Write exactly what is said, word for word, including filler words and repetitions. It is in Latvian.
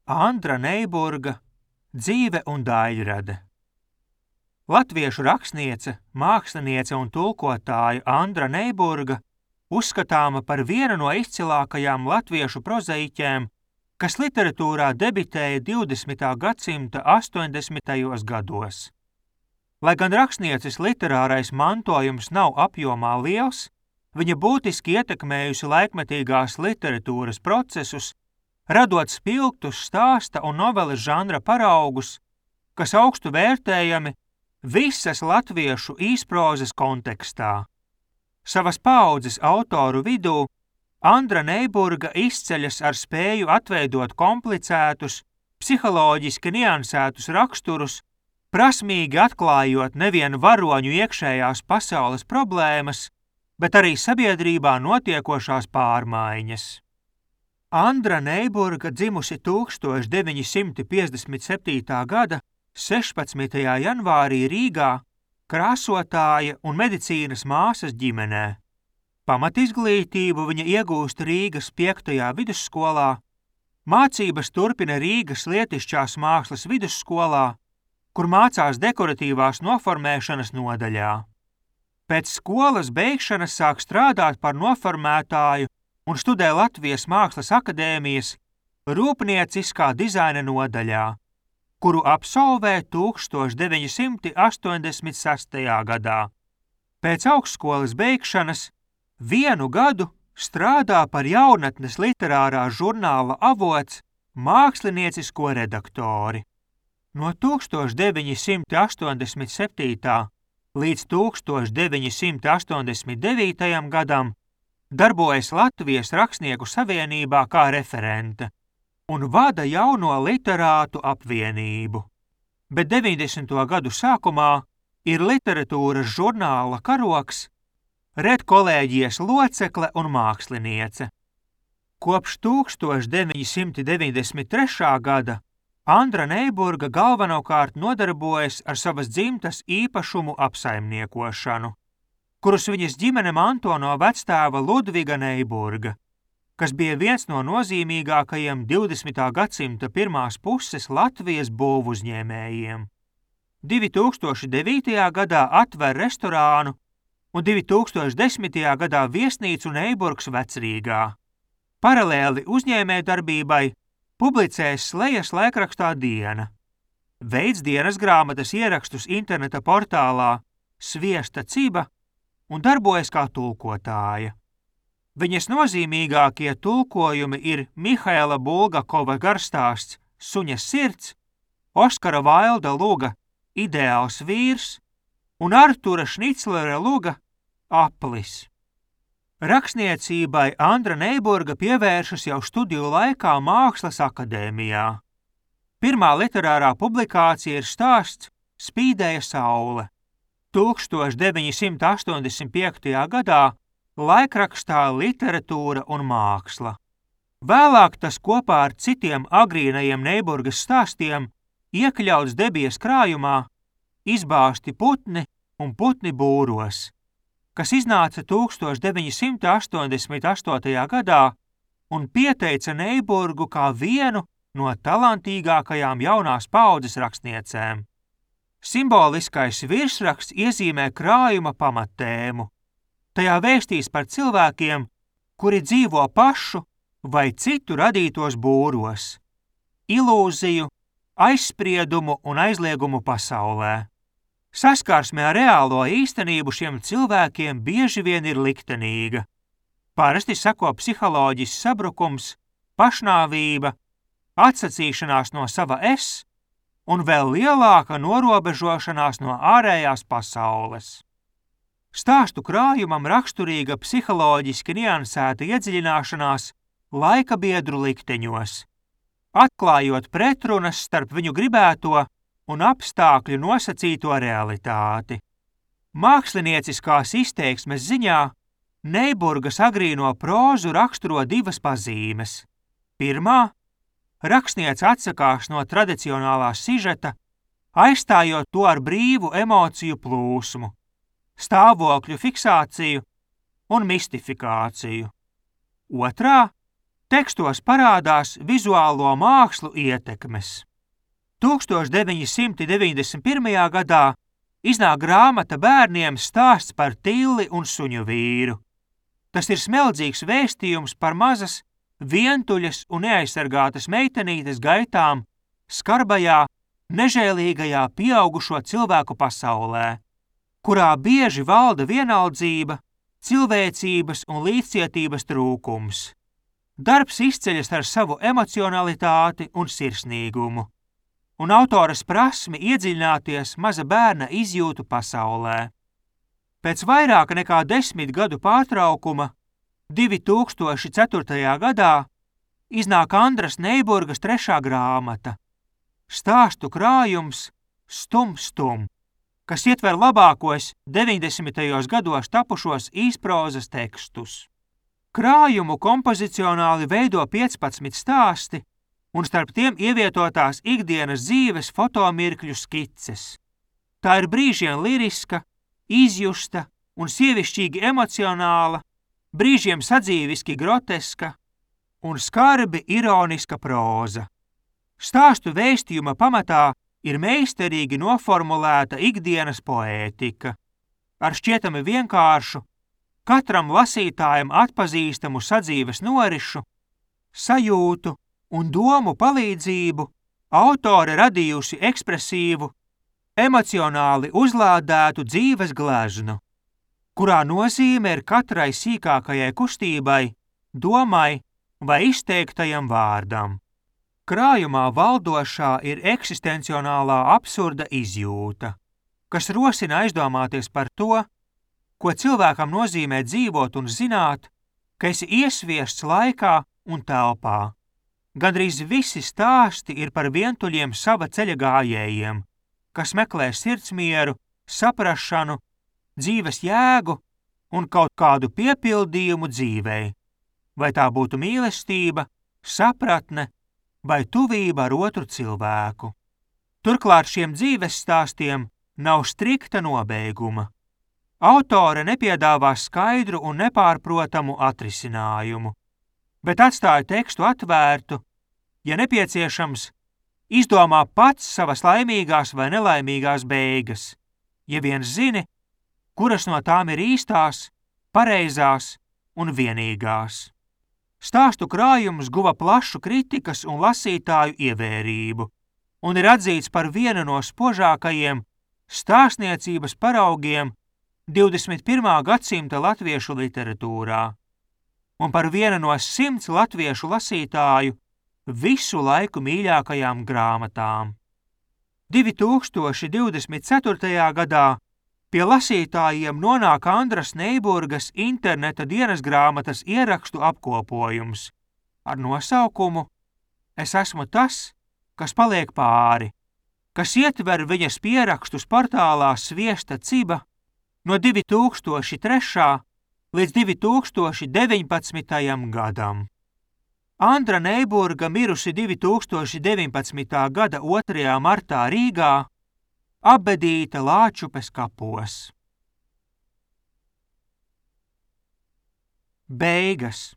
Andra Neiburga dzīve un daļrade. Latviešu rakstniece, māksliniece un tulkotāja Andra Neiburga uzskatāma par vienu no izcilākajām latviešu prozaiķēm, kas literatūrā debitēja divdesmitā gadsimta astoņdesmitajos gados. Lai gan rakstnieces literārais mantojums nav apjomā liels, viņa būtiski ietekmējusi laikmetīgās literatūras procesus, radot spilgtus stāsta un noveles žanra paraugus, kas augstu vērtējami visas latviešu īsprozes kontekstā. Savas paaudzes autoru vidū Andra Neiburga izceļas ar spēju atveidot komplicētus, psiholoģiski niansētus raksturus, prasmīgi atklājot nevien varoņu iekšējās pasaules problēmas, bet arī sabiedrībā notiekošās pārmaiņas. Andra Neiburga dzimusi tūkstoš deviņi simti piecdesmit septītā gada sešpadsmitajā janvārī Rīgā, krāsotāja un medicīnas māsas ģimenē. Pamatizglītību viņa iegūst Rīgas piektajā vidusskolā, mācības turpina Rīgas Lietišķās mākslas vidusskolā, kur mācās dekoratīvās noformēšanas nodaļā. Pēc skolas beigšanas sāk strādāt par noformētāju un studē Latvijas Mākslas akadēmijas rūpnieciskā dizaina nodaļā, kuru absolvē tūkstoš deviņi simti astoņdesmit sestajā gadā. Pēc augstskolas beigšanas vienu gadu strādā par jaunatnes literārā žurnāla Avots māksliniecisko redaktori. No tūkstoš deviņi simti astoņdesmit septītā līdz tūkstoš deviņi simti astoņdesmit devītajam gadam darbojas Latvijas Rakstnieku savienībā kā referente un vada jauno literātu apvienību. Bet deviņdesmito gadu sākumā ir literatūras žurnāla Karoks, redkolēģijas locekle un māksliniece. Kopš tūkstoš deviņi simti deviņdesmit trešā gada Andra Neiburga galvenokārt nodarbojas ar savas dzimtas īpašumu apsaimniekošanu, kurus viņas ģimene manto no vectēva Ludviga Neiburga, kas bija viens no nozīmīgākajiem divdesmitā gadsimta pirmās puses Latvijas būvuzņēmējiem. divi tūkstoši devītajā gadā atver restorānu un divi tūkstoši desmitajā gadā viesnīcu Neiburgs Vecrīgā. Paralēli uzņēmējdarbībai publicēs slejas laikrakstā Diena, veids dienas grāmatas ierakstus interneta portālā Sviesta Ciba un darbojas kā tulkotāja. Viņas nozīmīgākie tulkojumi ir Mihaela Bulgakova garstāsts Suņa sirds, Oskara Vailda luga Ideāls vīrs un Artura Šniclera luga Aplis. Rakstniecībai Andra Neiburga pievēršas jau studiju laikā Mākslas akadēmijā. Pirmā literārā publikācija ir stāsts Spīdēja saule. tūkstoš deviņi simti astoņdesmit piektajā gadā laikrakstā Literatūra un māksla. Vēlāk tas kopā ar citiem agrīnajiem Neiburgas stāstiem iekļauts Debijas krājumā Izbāzti putni un putni būros, kas iznāca tūkstoš deviņi simti astoņdesmit astotajā gadā un pieteica Neiburgu kā vienu no talantīgākajām jaunās paaudzes rakstniecēm. Simboliskais virsraksts iezīmē krājuma pamattēmu. Tajā vēstīs par cilvēkiem, kuri dzīvo pašu vai citu radītos būros, ilūziju, aizspriedumu un aizliegumu pasaulē. Saskarsme ar reālo īstenību šiem cilvēkiem bieži vien ir liktenīga. Parasti seko psiholoģisks sabrukums, pašnāvība, atsacīšanās no sava es un vēl lielāka norobežošanās no ārējās pasaules. Stāstu krājumam raksturīga psiholoģiski niansēta iedziļināšanās laika biedru likteņos, atklājot pretrunas starp viņu gribēto un apstākļu nosacīto realitāti. Mākslinieciskās izteiksmes ziņā Neiburgas agrīno prózu raksturo divas pazīmes. Pirmā – rakstniece atsakās no tradicionālā sižeta, aizstājot to ar brīvu emociju plūsmu, stāvokļu fiksāciju un mistifikāciju. Otrā Tekstos parādās vizuālo mākslu ietekmes. tūkstoš deviņi simti deviņdesmit pirmajā gadā iznāk grāmata bērniem Stāsts par Tilli un suņu vīru. Tas ir smeldzīgs vēstījums par mazas, vientuļas un neaizsargātas meitenītes gaitām skarbajā, nežēlīgajā pieaugušo cilvēku pasaulē, kurā bieži valda vienaldzība, cilvēcības un līdzcietības trūkums. Darbs izceļas ar savu emocionalitāti un sirsnīgumu, un autoras prasmi iedziļināties maza bērna izjūtu pasaulē. Pēc vairāk nekā desmit gadu pārtraukuma divi tūkstoši ceturtajā gadā iznāk Andras Neiburgas trešā grāmata Stāstu krājums Stum Stum, kas ietver labākos deviņdesmitajos gados tapušos īsprozas tekstus. Krājumu kompozicionāli veido piecpadsmit stāsti, un starp tiem ievietotās ikdienas dzīves fotomirkļu skices. Tā ir brīžiem liriska, izjusta un sievišķīgi emocionāla, brīžiem sadzīviski groteska un skarbi ironiska próza. Stāstu vēstījuma pamatā ir meistarīgi noformulēta ikdienas poētika, ar šķietami vienkāršu, katram lasītājam atpazīstamu sadzīves norišu, sajūtu un domu palīdzību autore radījusi ekspresīvu, emocionāli uzlādētu dzīves gleznu, kurā nozīme ir katrai sīkākajai kustībai, domai vai izteiktajam vārdam. Krājumā valdošā ir eksistencionālā absurda izjūta, kas rosina aizdomāties par to, ko cilvēkam nozīmē dzīvot un zināt, ka esi iesviests laikā un telpā. Gandrīz visi stāsti ir par vientuļiem sava ceļa gājējiem, kas meklē sirdsmieru, saprašanu, dzīves jēgu un kaut kādu piepildījumu dzīvei, vai tā būtu mīlestība, sapratne vai tuvība ar otru cilvēku. Turklāt šiem dzīves stāstiem nav strikta nobeiguma. Autore nepiedāvā skaidru un nepārprotamu atrisinājumu, bet atstāja tekstu atvērtu, ja nepieciešams, izdomā pats savas laimīgās vai nelaimīgās beigas, ja vien zini, kuras no tām ir īstās, pareizās un vienīgās. Stāstu krājums guva plašu kritikas un lasītāju ievērību un ir atzīts par vienu no spožākajiem stāstniecības paraugiem divdesmit pirmā gadsimta latviešu literatūrā un par vienu no simts latviešu lasītāju visu laiku mīļākajām grāmatām. divi tūkstoši divdesmit ceturtajā gadā pie lasītājiem nonāk Andras Neiburgas interneta dienasgrāmatas ierakstu apkopojums ar nosaukumu Es esmu tas, kas paliek pāri, kas ietver viņas pierakstus portālā Sviesta Ciba no divi tūkstoši trešā līdz divi tūkstoši deviņpadsmitajam gadam. Andra Neiburga mirusi divi tūkstoši deviņpadsmitā gada otrajā martā Rīgā, apbedīta Lāčupes kapos. Beigas.